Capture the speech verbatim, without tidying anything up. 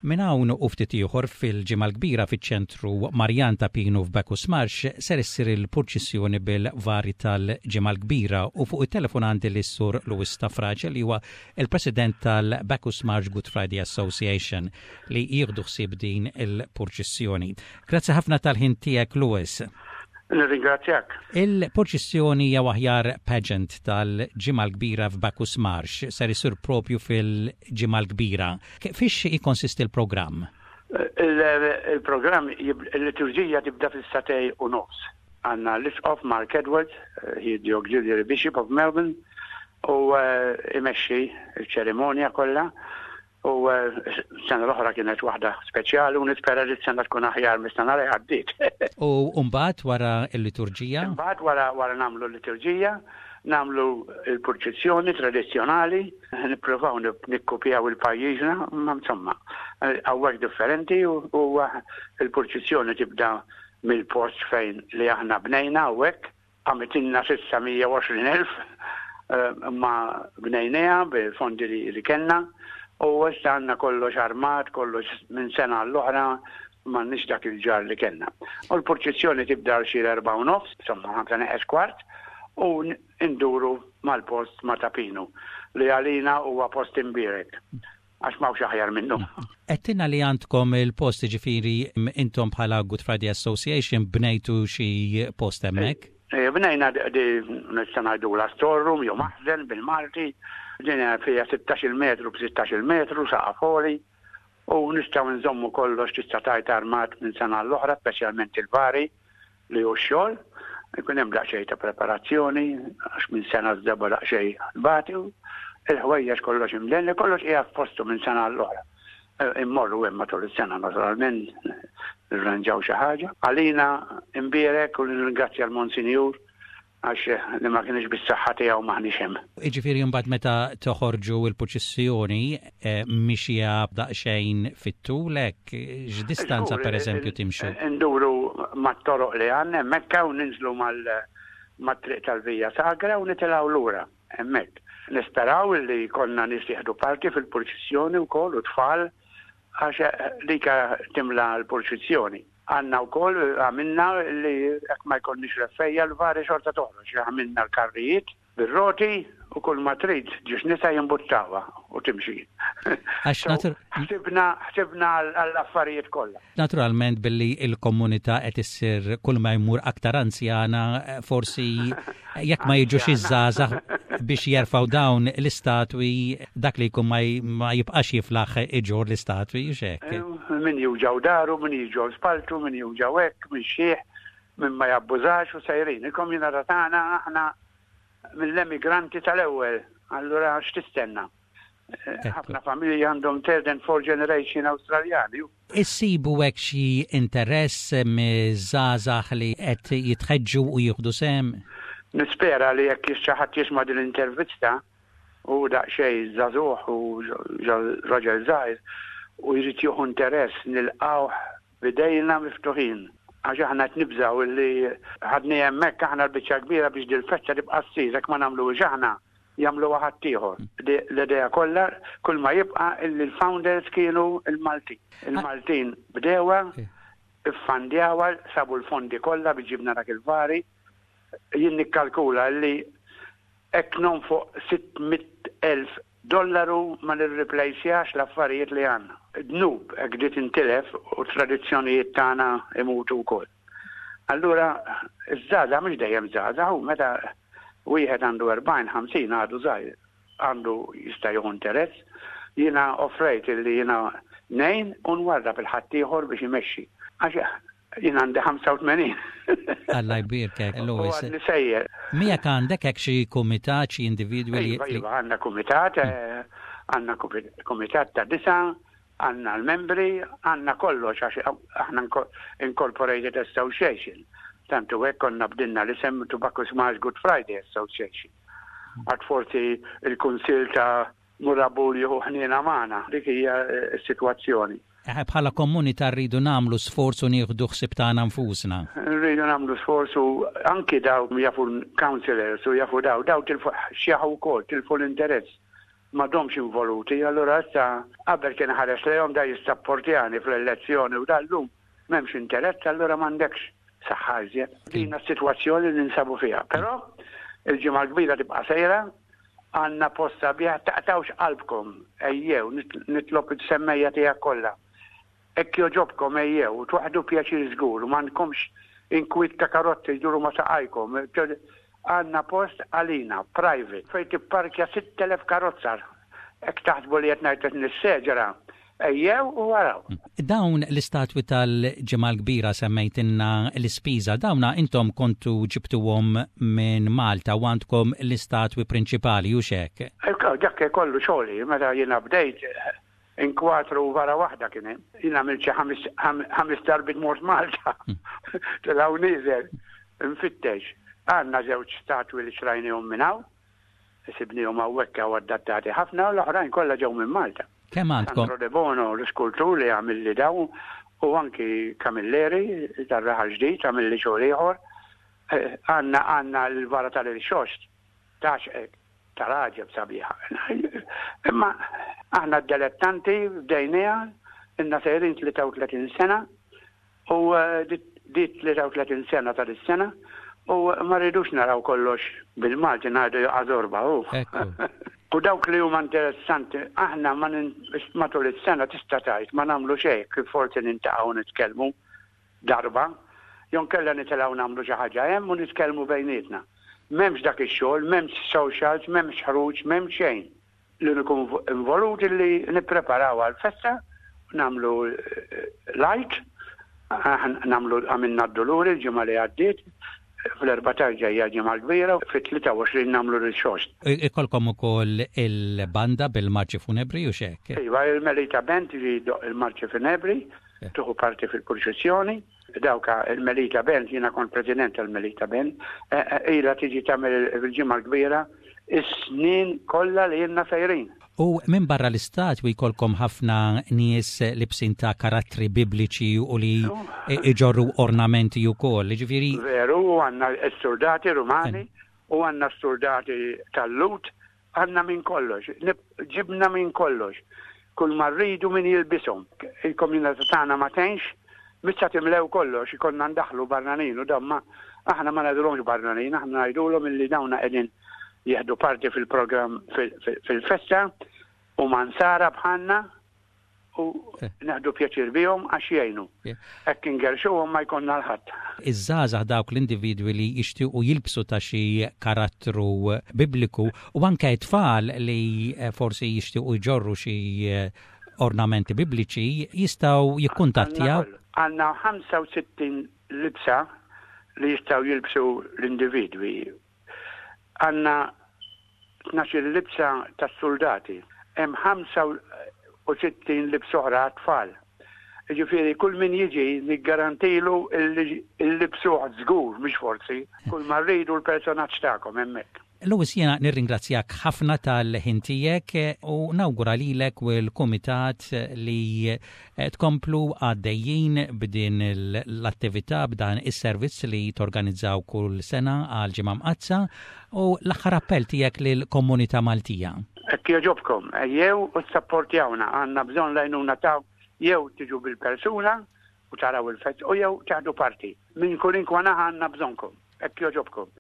Minn hawn u ftit ieħor, fil-Ġimgħa l-Kbira, fiċ-ċentru Marjan ta' Pinu f'Bacchus Marsh ser issir il-purċissjoni bil-vari tal-Ġimgħa l-Kbira u fuq it-telefon għandi lis-Sur Louis Stafrace, li huwa il-President tal-Bacchus Marsh Good Friday Association, li jieħdu ħsieb din il-purċissjoni. Grazzi ħafna tal-ħin tiegħek, Louis. Nirringrazzjak. Il-purċissjoni jew aħjar pageant tal-Ġimgħa l-Kbira f'Bacchus Marsh ser isir propju fil-Ġimgħa l-Kbira. Fiex jikkonsisti l-programm? Il-programm, il-liturġija tibda fis-sagħtejn u nofs. Għandna l-Isqof Mark Edwards, he the Auxiliary Bishop of Melbourne, u eh, imexxi il-ċerimonja kollha. U eh, sena l-oħra kienet waħda speċjali u nispera li s-sena tkun aħjar mis-sena li għaddiet. U mbagħad wara l-liturġija? Mbagħad wara wara nagħmlu l-liturġija, nagħmlu l-purċissjoni tradizzjonali, nippruvaw nikkupjaw il-pajjiżna, ma insomma, hawnhekk differenti u il-purċissjoni tibda mill-post fejn li aħna bnejna hawnhekk, għamlitilna s'issa mija u għoxrin elf, eh, ma bnejnieha bil-fondi li kellna. U issa għandna kollox armat, kollox minn sena l-oħra, m'għandniex dak il-ġar li kellna. U l-purċissjoni tibda xi erba' u nofs, insomma ħamsa neqes kwart, u nduru mal-post ma' Ta' Pinu, li għalina huwa post imbierek, għax m'hawnx aħjar minnu. Għedtilna li għandkom il-post, ġifieri intom bħala Good Friday Association bnejtu xi post hemmhekk? Eh, bnejna di nista' ngħidu la storeroom jew maħżen bil-Malti. Din fija sittax-il metru b'sittax-il metru, saqaf għoli, u nistgħu nżommu kollox, tista' tgħid, armat minn sena l-oħra, speċjalment il-vari li hu xogħol. Ikun hemm daqsxejn ta' preparazzjoni għax minn sena żdeba daqsxejn bati, il-ħwejjeġ kollox imdenni, kollox qiegħed f'postu minn sena l-oħra. Eh, immorru hemm matul is-sena, naturalment nirranġaw xi ħaġa. Għalina imbierek u nirringrazzja l-Monsinjur għax li ma kienx bis-saħħa tiegħu m'aħniex hemm. Jiġifieri mbagħad meta toħorġu l-purċissjoni eh, mixija daqsxejn fit-tul hekk, x'distanza pereżempju timxu? Nduru mat-toroq li għandna hemmhekk u ninżlu mal-triq tal-Vija Sagra u nitilgħu lura hemmhekk. Nisperaw li konna nies jieħdu parti fil-purċissjoni wkoll u tfal, għax lika timla l-purċissjoni. Għandna wkoll għamilna li jekk ma jkollniex reffejja, l-vari xorta toħroġ. Għamilna l-karrijiet bir-roti u kull ma trid ġiex nisa jimbuttawha u timxi. Għax ħsibna ħsibna għall-affarijiet kollha. Naturalment, billi il-komunità qed issir kull ma jmur aktar anzjana, forsi jekk ma jiġux iż-żgħażagħ biex jerfgħu dawn l-istatwi, dak li jkun ma jibqax jiflaħ iġorr l-istatwi, xek. Eh, min juġgħu dahru, min juġgħu spaltu, min juġgħu hekk, min xieħ, min ma jabbużax u sejrin. Il-komunità tagħna aħna mill-emigranti tal-ewwel, allura x'tistenna? Eh, ħafna familji għandhom third and fourth generation Awstraljani. Issibu hekk xi interess miż-żgħażagħ li qed jitħeġġu u jieħdu sehem? Nispera li jekk xi ħadd jisma' din l-intervista u daqsxejn żagħżugħ u raġel żgħir u jrid jieħu interess, nilqgħuh b'idejna miftuħin. Għax aħna qed nibżgħu li ħadni hemmhekk aħna l-biċċa kbira biex dil-festa tibqa' ssir, jekk ma nagħmluhiex aħna, jagħmlu ħadd ieħor. L-idea kollha kull ma jibqa' illi l-founders kienu il-Maltin. Il-Maltin bdewha, iffandjawha, sabu l-fondi kollha biex ġibna dak il-vari. Jien nikkalkula li hekk non fuq sitt mitt elf dollaru ma nirreplacjax l-affarijiet li għandna. Dnub hekk di tintilef u tradizzjonijiet tagħna imutu wkoll. Allura, iż-żgħażagħ mhux dejjem żgħażagħ, u meta wieħed għandu erbgħin, ħamsin għadu żgħir, għandu jista' jieħu interess. Jiena offrejt illi jiena ngħin u nwarrab il-ħaddieħor biex imexxi. Għax jien għandi ħamsa u tmenin. Alla jbierkek, Louis. U sejjer. Miegħek għandek hekk xi kumitat, xi individwi li Iva, iva, għandna kumitat, eh, għandna kumitat ta' disa, għandna l-membri, għandna kollox, għax aħna Incorporated Association. Tantu hekk konna bdilna l-isem to Bacchus Marsh Good Friday Association. Għad forsi il-Kunsil ta' Moorabool jieħu ħniena magħna, dik hija s-sitwazzjoni. Eh, bħala komunità rridu nagħmlu sforzu, nieħdu ħsieb tagħna nfusna. Rridu nagħmlu sforzu, anki daw jafu councillors u jafu daw, daw tilfu xjaħu wkoll, tilfu l-interess. M'għadhomx involuti, allura issa qabel kien ħares lejhom da jissapportjani fl-elezzjoni u dal-lum m'hemmx interess, allura m'għandekx saħħa iżjed. Din is-sitwazzjoni li ninsabu fiha. Però il-Ġimgħa l-Kbira tibqa' sejra, għandna post sabiħ, taqtawx qalbkom, ejjew, nitlob is-semmiegħa tiegħek kollha. Hekk jogħġobkom ejjew, tieħdu pjaċir żgur, m'għandkomx inkwiet ta' karozzi jduru ma' saqajkom. Għandna post għalina, private, fejn tipparkja sitt elef karozza. Hekk taħsbu li qed ngħid nisseġera, ejjew u waraw. Dawn l-istatwi tal-Ġimgħa l-Kbira, semmejtilna l-ispiża, dawna intom kontu ġibtuhom minn Malta u għandkom l-istatwi prinċipali u xek? Dak kollu xogħli, meta jiena bdejt inkwatru vara waħda kien hemm. Jiena għamilt xi ħames darbit mort Malta. Telgħu nieżel, nfittex. Għandna żewġ statwi li xtrajnihom minn hawn, sibnihom hawnhekk u adattati ħafna u l-oħrajn kollha ġew minn Malta. Kemm għandkom? Sandro De Bono, l-iskultur li għamil li daw, u anki Camilleri, tar-Raħal Ġdid, għamil li xogħol ieħor. Eh, għandna għandna l-vara tal-Irxoxt, tax tal-għaġeb sabiħa. Imma aħna d-dilettanti bdejnieha, ilna sejrin tlieta u tletin sena, u eh, di tlieta u tletin sena tal-sena, u ma rridux naraw kollox, bil-Malti ngħidu, jaqa' żorba. U dawk li huma interessanti, aħna ma matul is-sena tista' tgħid ma nagħmlu xejn, kif forsi niltaqgħu nitkellmu darba, jew inkella nitilgħu nagħmlu xi ħaġa hemm u nitkellmu bejnietna. M'hemmx dak ix-xogħol, m'hemmx socials, m'hemmx ħruġ, m'hemmx xejn. Li nkun involuti li nippreparaw għal-festa, nagħmlu eh, light, nagħmlu, għamilna d-Duluri l-ġimgħa li għaddiet, fl-erbatax ġejja Ġimgħa Kbira, fit-tlieta u għoxrin nagħmlu l-Irxoxt. Ikolkom ukoll il-banda bil-marċi funebri u xek? Iva, il-Melita Band li il-marċi funebri, tieħu parti fil-purċissjoni. Dawka il-Melita Band, jiena kont president tal-Melita Band, eh, eh, ila tiġi tagħmel il-Ġimgħa Kbira is-snin kollha li ilna sejrin. U minn barra l-istatwi jkollkom ħafna nies libsin ta' karattri bibliċi u li iġorru ornamenti u koll, ġifieri. Veru, u għandna s-soldati rumani, u għandna s-soldati tal-Lhud, għandna minn kollox, ġibna minn kollox. Kull ma rridu min jilbishom. Il-komunità tagħna ma tenx, mista timlew kollox, ikonna ndaħlu barranin u damma, aħna ma ngħidulhomx barranin, aħna ngħidulhom illi dawna qegħdin jieħdu parti fil-programm fil-festa u Nsara bħalna u eh. nieħdu pjaċir bihom għax jgħinu. Hekk ingerxuhom ma jkollna 'l ħadd. Iż-żgħażagħ, dawk l-individwi li jixtiequ jilbsu ta' xi karattru bibliku u anke tfal li eh, forsi jixtiequ jġorru xi eh, ornamenti bibliċi, jistgħu jikkuntattjaw. Għandna ħamsa u sittin libsa li jistgħu jilbsu l-individwi. Għandna tnax-il libsa tas-soldati. Hemm ħamsa u sittin libsa oħra tfal. Ġifieri kull min jiġi niggarantilu il-libsuħ żgur, mhux forsi, kull ma rridu l-personaġġ tagħkom hemmhekk. Louis, jiena nirringrazzjak ħafna tal-ħin tiegħek u nawgura lilek u l-kumitat li tkomplu għaddejjin b'din l-attività, b'dan is-servizz li torganizzaw kull sena għal Ġimgħa Mqaddsa, u l-aħħar appell tiegħek lill-komunità Maltija. Hekk jogħġobkom, ejjew u sapportjawna, għandna bżonn l-għajnuna ta' jew tiġu bil-persuna u taraw il-fest u jew tieħdu parti. Minn kull naħa għandna bżonnkom, hekk jogħġobkom.